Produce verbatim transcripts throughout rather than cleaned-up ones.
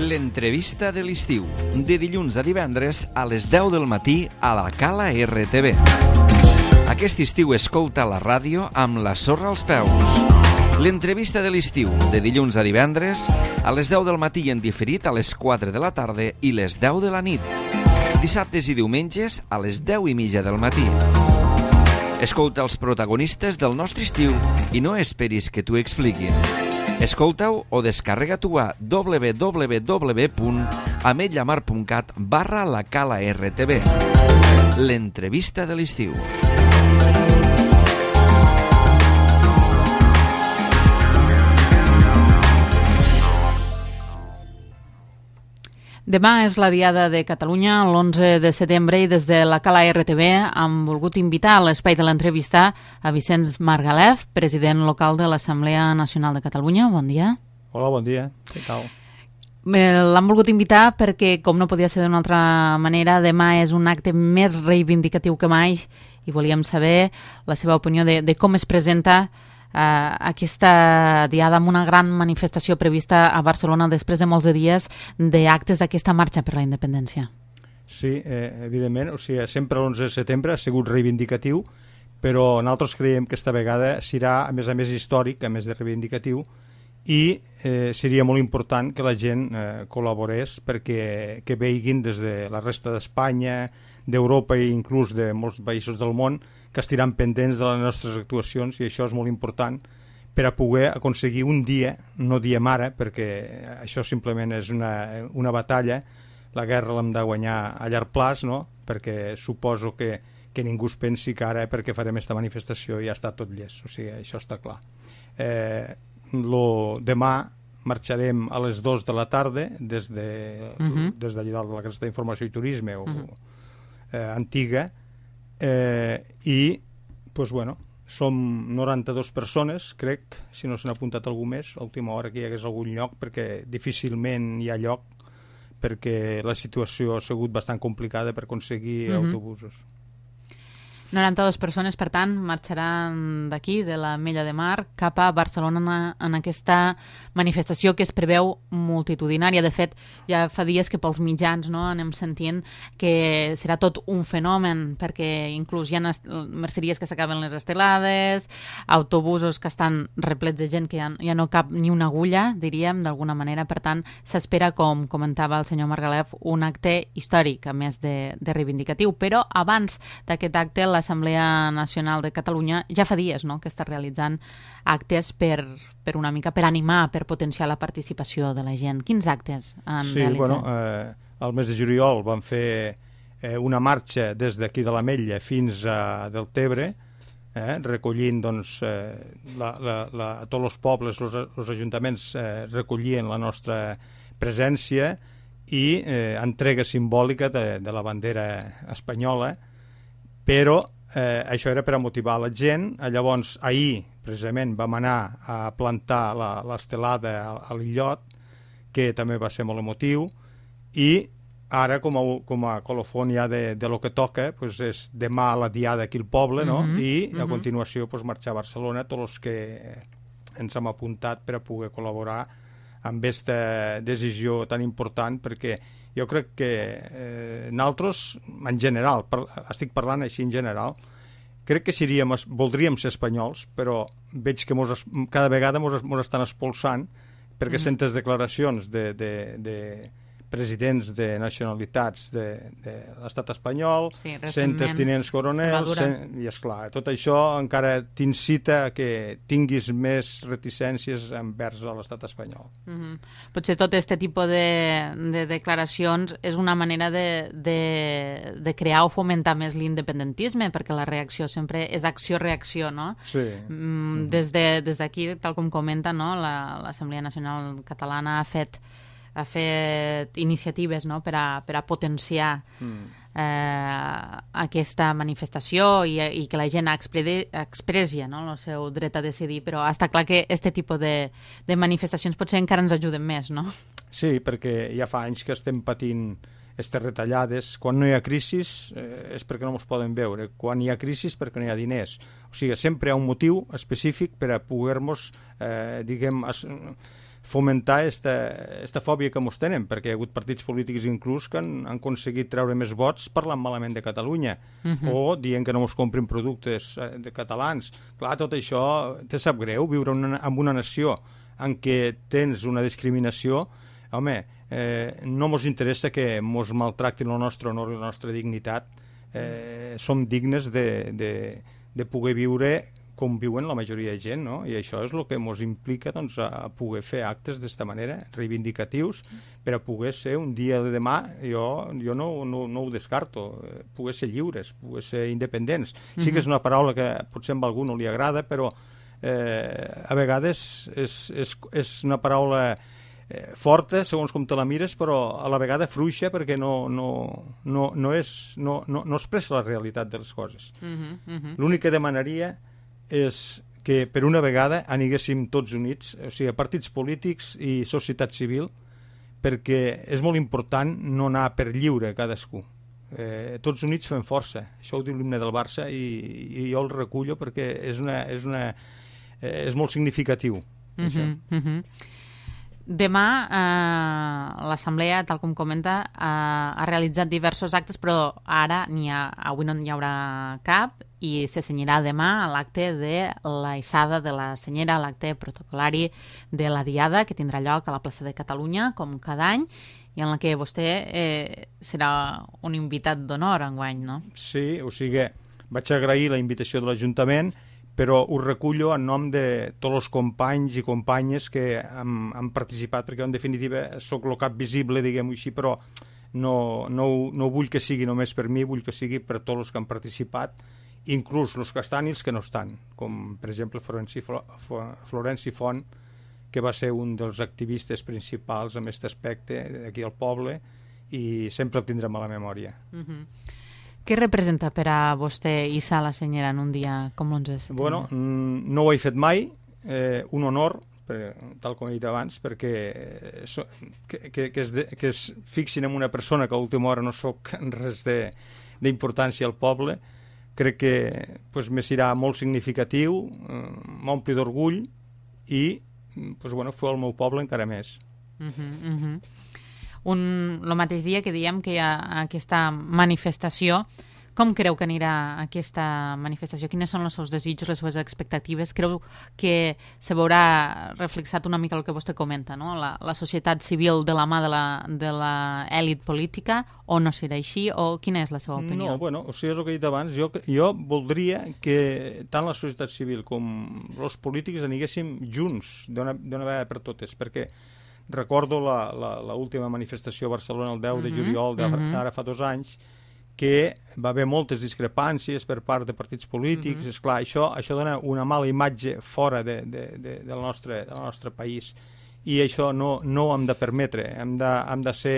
L'entrevista de l'estiu, de dilluns a divendres a les deu del matí a la Cala R T V. Aquest estiu escolta la ràdio amb la sorra als peus. L'entrevista de l'estiu, de dilluns a divendres a les deu del matí en diferit a les quatre de la tarda i les deu de la nit. Dissabtes i diumenges a les deu i mitja del matí. Escolta els protagonistes del nostre estiu i no esperis que t'ho expliquin. Escolta-ho o descarrega-t'ho a w w w punt ametlllamar punt cat barra la Cala R T V. L'entrevista de l'estiu. Demà és la Diada de Catalunya, l'onze de setembre, i des de la Cala R T V hem volgut invitar a l'espai de l'entrevista a Vicenç Margalef, president local de l'Assemblea Nacional de Catalunya. Bon dia. Hola, bon dia. Què tal? L'hem volgut invitar perquè, com no podia ser d'una altra manera, demà és un acte més reivindicatiu que mai i volíem saber la seva opinió de, de com es presenta Uh, aquesta diada amb una gran manifestació prevista a Barcelona després de molts de dies d'actes d'aquesta marxa per la independència. Sí, eh, evidentment, o sigui, sempre l'onze de setembre ha sigut reivindicatiu, però nosaltres creiem que esta vegada serà, a més a més, històric, a més de reivindicatiu, i eh, seria molt important que la gent eh, col·laborés perquè que veiguin des de la resta d'Espanya, d'Europa i inclús de molts països del món que estiran pendents de les nostres actuacions, i això és molt important per a poder aconseguir un dia, no diem ara, perquè això simplement és una, una batalla, la guerra l'hem de guanyar a llarg plaç, no? Perquè suposo que, que ningú es pensi que ara perquè farem aquesta manifestació ja està tot llest, o sigui, això està clar. Eh, lo, demà marxarem a les dues de la tarda des de, uh-huh. des d'allà dalt de la Casa d'Informació i Turisme o uh-huh. eh, antiga, Eh, i pues, bueno, som noranta-dues persones, crec, si no s'han apuntat algú més a última hora que hi hagués algun lloc, perquè difícilment hi ha lloc, perquè la situació ha sigut bastant complicada per aconseguir mm-hmm. autobusos. noranta-dues persones, per tant, marxaran d'aquí, de l'Ametlla de Mar, cap a Barcelona en aquesta manifestació que es preveu multitudinària. De fet, ja fa dies que pels mitjans no, anem sentint que serà tot un fenomen, perquè inclús hi ha merceries que s'acaben les estelades, autobusos que estan replets de gent que ja, ja no cap ni una agulla, diríem, d'alguna manera. Per tant, s'espera, com comentava el senyor Margalef, un acte històric, a més de, de reivindicatiu. Però abans d'aquest acte, la l'Assemblea Nacional de Catalunya ja fa dies no, que està realitzant actes per, per una mica per animar, per potenciar la participació de la gent. Quins actes han sí, realitzat? Bueno, eh, el mes de juliol vam fer eh, una marxa des d'aquí de l'Ametlla fins a Deltebre, eh, recollint doncs, eh, la, la, la, a tots els pobles, els ajuntaments eh, recollien la nostra presència i eh, entrega simbòlica de, de la bandera espanyola, però eh, això era per a motivar la gent. Llavors, ahir, precisament, vam anar a plantar l'estelada a, a l'illot, que també va ser molt emotiu, i ara, com a, com a colofon ja de, de lo que toca, pues és demà la diada aquí al poble, no? Mm-hmm. I a mm-hmm. continuació pues, marxar a Barcelona, tots els que ens hem apuntat per a poder col·laborar amb aquesta decisió tan important, perquè jo crec que eh, nosaltres, en general, per, estic parlant així en general, crec que seríem, voldríem ser espanyols, però veig que mos, cada vegada ens estan expulsant perquè mm. sentes declaracions de, de, de presidents de nacionalitats de, de l'estat espanyol, sí, sentes tinents coronels, sen, i esclar, tot això encara t'incita a que tinguis més reticències envers l'estat espanyol. Mm-hmm. Potser tot aquest tipus de, de declaracions és una manera de, de, de crear o fomentar més l'independentisme, perquè la reacció sempre és acció-reacció, no? Sí. Mm, des de, des d'aquí, tal com comenta, no, la, l'Assemblea Nacional Catalana ha fet ha fet iniciatives no? per, a, per a potenciar mm. eh, aquesta manifestació i, i que la gent expressi no? el seu dret a decidir, però està clar que aquest tipus de, de manifestacions potser encara ens ajuden més, no? Sí, perquè ja fa anys que estem patint aquestes retallades. Quan no hi ha crisi eh, és perquè no ens poden veure, quan hi ha crisi és perquè no hi ha diners. O sigui, sempre hi ha un motiu específic per a poder-nos, eh, diguem, es, fomentar aquesta fòbia que mos tenen, perquè hi ha hagut partits polítics inclús que han, han aconseguit treure més vots parlant malament de Catalunya, uh-huh. o dient que no mos comprin productes de catalans. Clar, tot això te sap greu, viure una, en una nació en què tens una discriminació. Home, eh, no mos interessa que mos maltractin el nostre honor i la nostra dignitat. Eh, som dignes de, de, de poder viure com viuen la majoria de gent, no? I això és el que ens implica, doncs, a poder fer actes d'esta manera, reivindicatius, per a poder ser un dia de demà, jo, jo no, no, no ho descarto, poder ser lliures, poder ser independents. Mm-hmm. Sí que és una paraula que potser a algú no li agrada, però eh, a vegades és, és, és una paraula eh, forta, segons com te la mires, però a la vegada fluixa, perquè no, no, no, no, és, no, no, no expressa la realitat de les coses. Mm-hmm. Mm-hmm. L'únic que demanaria és que per una vegada aniguéssim tots units, o sigui, partits polítics i societat civil, perquè és molt important no anar per lliure cadascú. Eh, tots units fem força. Això ho diu l'himne del Barça i, i jo el recullo perquè és, una, és, una, eh, és molt significatiu. Mm-hmm, mm-hmm. Demà eh, l'Assemblea, tal com comenta, eh, ha realitzat diversos actes, però ara n'hi ha, avui no n'hi haurà cap i se cenyirà demà a l'acte de l'aixada de la senyera, l'acte protocolari de la Diada, que tindrà lloc a la plaça de Catalunya, com cada any, i en la que vostè eh, serà un invitat d'honor enguany, no? Sí, o sigui, vaig agrair la invitació de l'Ajuntament, però ho recullo en nom de tots els companys i companyes que han, han participat, perquè en definitiva sóc el cap visible, diguem-ho així, però no, no, no vull que sigui només per mi, vull que sigui per tots els que han participat, inclús els que estan i els que no estan, com per exemple Florenci, Florenci Font, que va ser un dels activistes principals en aquest aspecte aquí al poble, i sempre el tindrem a la memòria. Mm-hmm. Què representa per a vostè hissar la senyera en un dia com l'onze de setembre? Bueno, no ho he fet mai, eh, un honor, per, tal com he dit abans, perquè so, que, que, que, es de, que es fixin en una persona que a última hora no soc res d'importància al poble. Crec que pues, me serà molt significatiu, eh, m'ompli d'orgull i pues, bueno, fer el meu poble encara més. Uh-huh, uh-huh. Un, el mateix dia que diem que hi ha aquesta manifestació, com creu que anirà aquesta manifestació? Quines són els seus desitjos, les seves expectatives? Creu que se veurà reflexat una mica el que vostè comenta, no? La, la societat civil de la mà de la, de la èlit política, o no serà així, o quina és la seva opinió? No, bueno, o sigui, és el que he dit abans, jo, jo voldria que tant la societat civil com els polítics aniguéssim junts d'una vegada per totes, perquè recordo l'última manifestació a Barcelona el deu de juliol, uh-huh. ara fa dos anys, que va haver moltes discrepàncies per part de partits polítics. Uh-huh. Esclar, això, això dona una mala imatge fora de, de, de, del, nostre, del nostre país, i això no, no ho hem de permetre. Hem de, hem de ser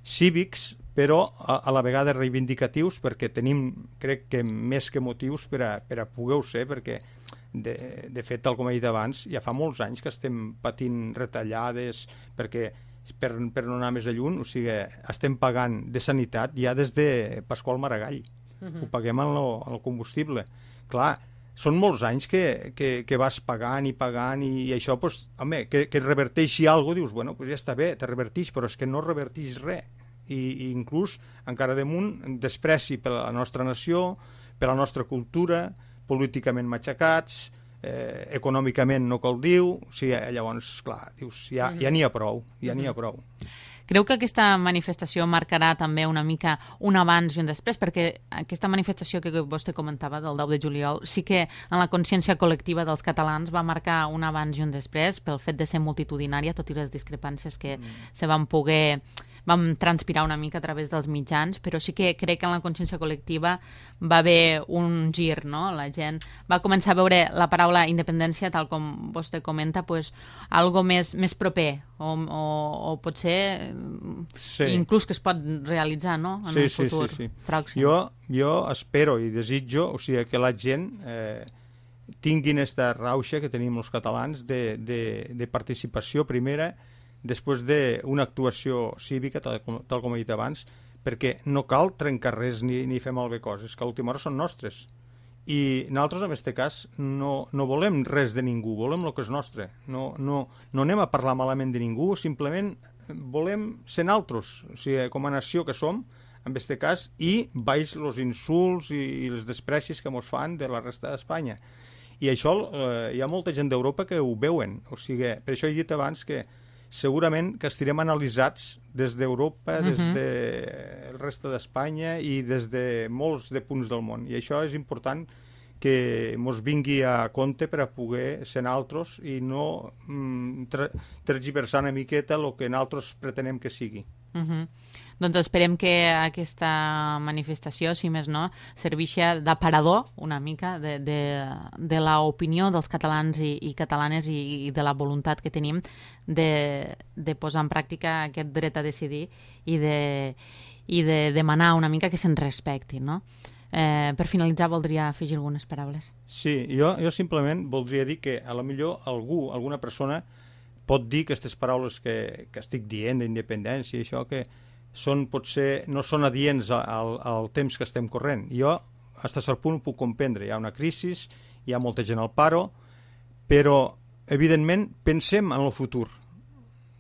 cívics, però a, a la vegada reivindicatius, perquè tenim, crec que més que motius per a, per a poder-ho ser, perquè De, de fet, tal com he dit abans, ja fa molts anys que estem patint retallades, perquè per, per no anar més a lluny, o sigui, estem pagant de sanitat ja des de Pasqual Maragall. Uh-huh. Ho paguem en, lo, en el combustible. Clar, són molts anys que, que, que vas pagant i pagant, i, i això, pues, home, que, que reverteixi alguna cosa, dius, bueno, pues ja està bé, te revertix, però és que no revertix res. I, i inclús, encara damunt, despreci per la nostra nació, per la nostra cultura, políticament matxacats, eh, econòmicament no cal dir, o sigui, llavors, clar, dius, ja ja n'hi ha prou, ja n'hi ha prou. Creu que aquesta manifestació marcarà també una mica un abans i un després? Perquè aquesta manifestació que vostè comentava del deu de juliol sí que en la consciència col·lectiva dels catalans va marcar un abans i un després pel fet de ser multitudinària, tot i les discrepàncies que mm. se van poder vam transpirar una mica a través dels mitjans, però sí que crec que en la consciència col·lectiva va haver un gir, no? La gent va començar a veure la paraula independència, tal com vostè comenta, pues, algo més, més proper, o, o, o potser sí. inclús que es pot realitzar, no? En sí, un futur sí, sí, sí. pròxim. Jo, jo espero i desitjo, o sigui, que la gent eh, tinguin aquesta rauxa que tenim els catalans de, de, de participació primera, després d'una actuació cívica, tal com, tal com he dit abans, perquè no cal trencar res ni, ni fer malbé coses, que a última hora són nostres. I nosaltres, en aquest cas, no, no volem res de ningú, volem el que és nostre. No, no, no anem a parlar malament de ningú, simplement volem ser naltros, o sigui, com a nació que som, en aquest cas, i baix els insults i, i els desprecis que ens fan de la resta d'Espanya. I això eh, hi ha molta gent d'Europa que ho veuen, o sigui, per això he dit abans que segurament que estirem analitzats des d'Europa, uh-huh. des del reste d'Espanya i des de molts de punts del món. I això és important que ens vingui a compte per a poder ser naltros i no mm, tergiversar una miqueta el que nosaltres pretenem que sigui. Uh-huh. Doncs esperem que aquesta manifestació, si més no, serveixi d'aparador una mica de, de, de l'opinió dels catalans i, i catalanes i, i de la voluntat que tenim de, de posar en pràctica aquest dret a decidir i de, i de demanar una mica que se'n respecti, no? Eh, per finalitzar, voldria afegir algunes paraules. Sí, jo, jo simplement voldria dir que a lo millor algú, alguna persona pot dir que aquestes paraules que, que estic dient d'independència i això que són, potser no són adients al, al temps que estem corrent. Jo, fins a cert punt, ho puc comprendre. Hi ha una crisi, hi ha molta gent al paro, però, evidentment, pensem en el futur.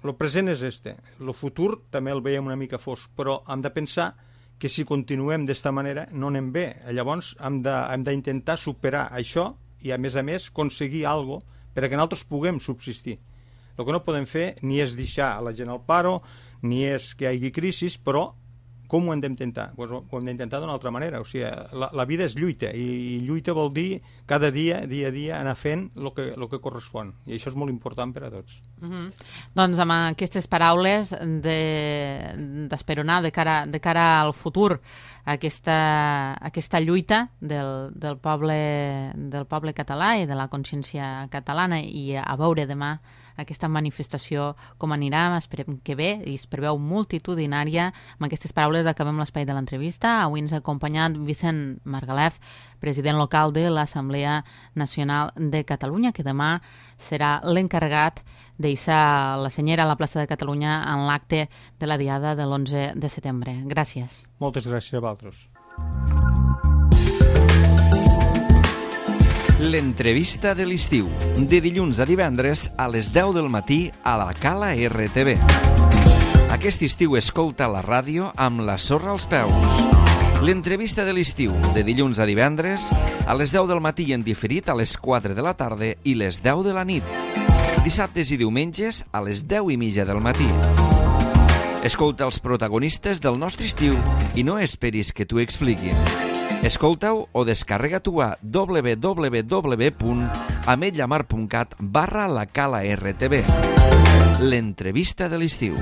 El present és este. El futur també el veiem una mica fosc, però hem de pensar que si continuem d'esta manera no anem bé. Llavors hem d'intentar superar això i, a més a més, aconseguir alguna cosa perquè nosaltres puguem subsistir. El que no podem fer ni és deixar a la gent al paro, ni és que hi hagi crisi, però com ho hem d'intentar? Pues ho hem d'intentar d'una altra manera. O sigui, la, la vida és lluita, i, i lluita vol dir cada dia, dia a dia, anar fent el que, el que correspon. I això és molt important per a tots. Mm-hmm. Doncs amb aquestes paraules d'esperonar de, de, cara, de cara al futur aquesta, aquesta lluita del, del, poble, del poble català i de la consciència catalana, i a veure demà aquesta manifestació com anirà, esperem que bé, i es preveu multitudinària. Amb aquestes paraules acabem l'espai de l'entrevista. Avui ens ha acompanyat Vicent Margalef, president local de l'Assemblea Nacional de Catalunya, que demà serà l'encarregat d'hissar la senyera a la plaça de Catalunya en l'acte de la diada de l'onze de setembre. Gràcies. Moltes gràcies a vosaltres. L'entrevista de l'estiu, de dilluns a divendres a les deu del matí a la Cala R T V. Aquest estiu escolta la ràdio amb la sorra als peus. L'entrevista de l'estiu, de dilluns a divendres a les deu del matí en diferit a les quatre de la tarda i les deu de la nit. Dissabtes i diumenges a les deu i mitja del matí. Escolta els protagonistes del nostre estiu i no esperis que t'ho expliquin. Escolta-ho o descarrega-t'ho a w w w punt ametlllamar punt cat barra la Cala R T V. L'entrevista de l'estiu.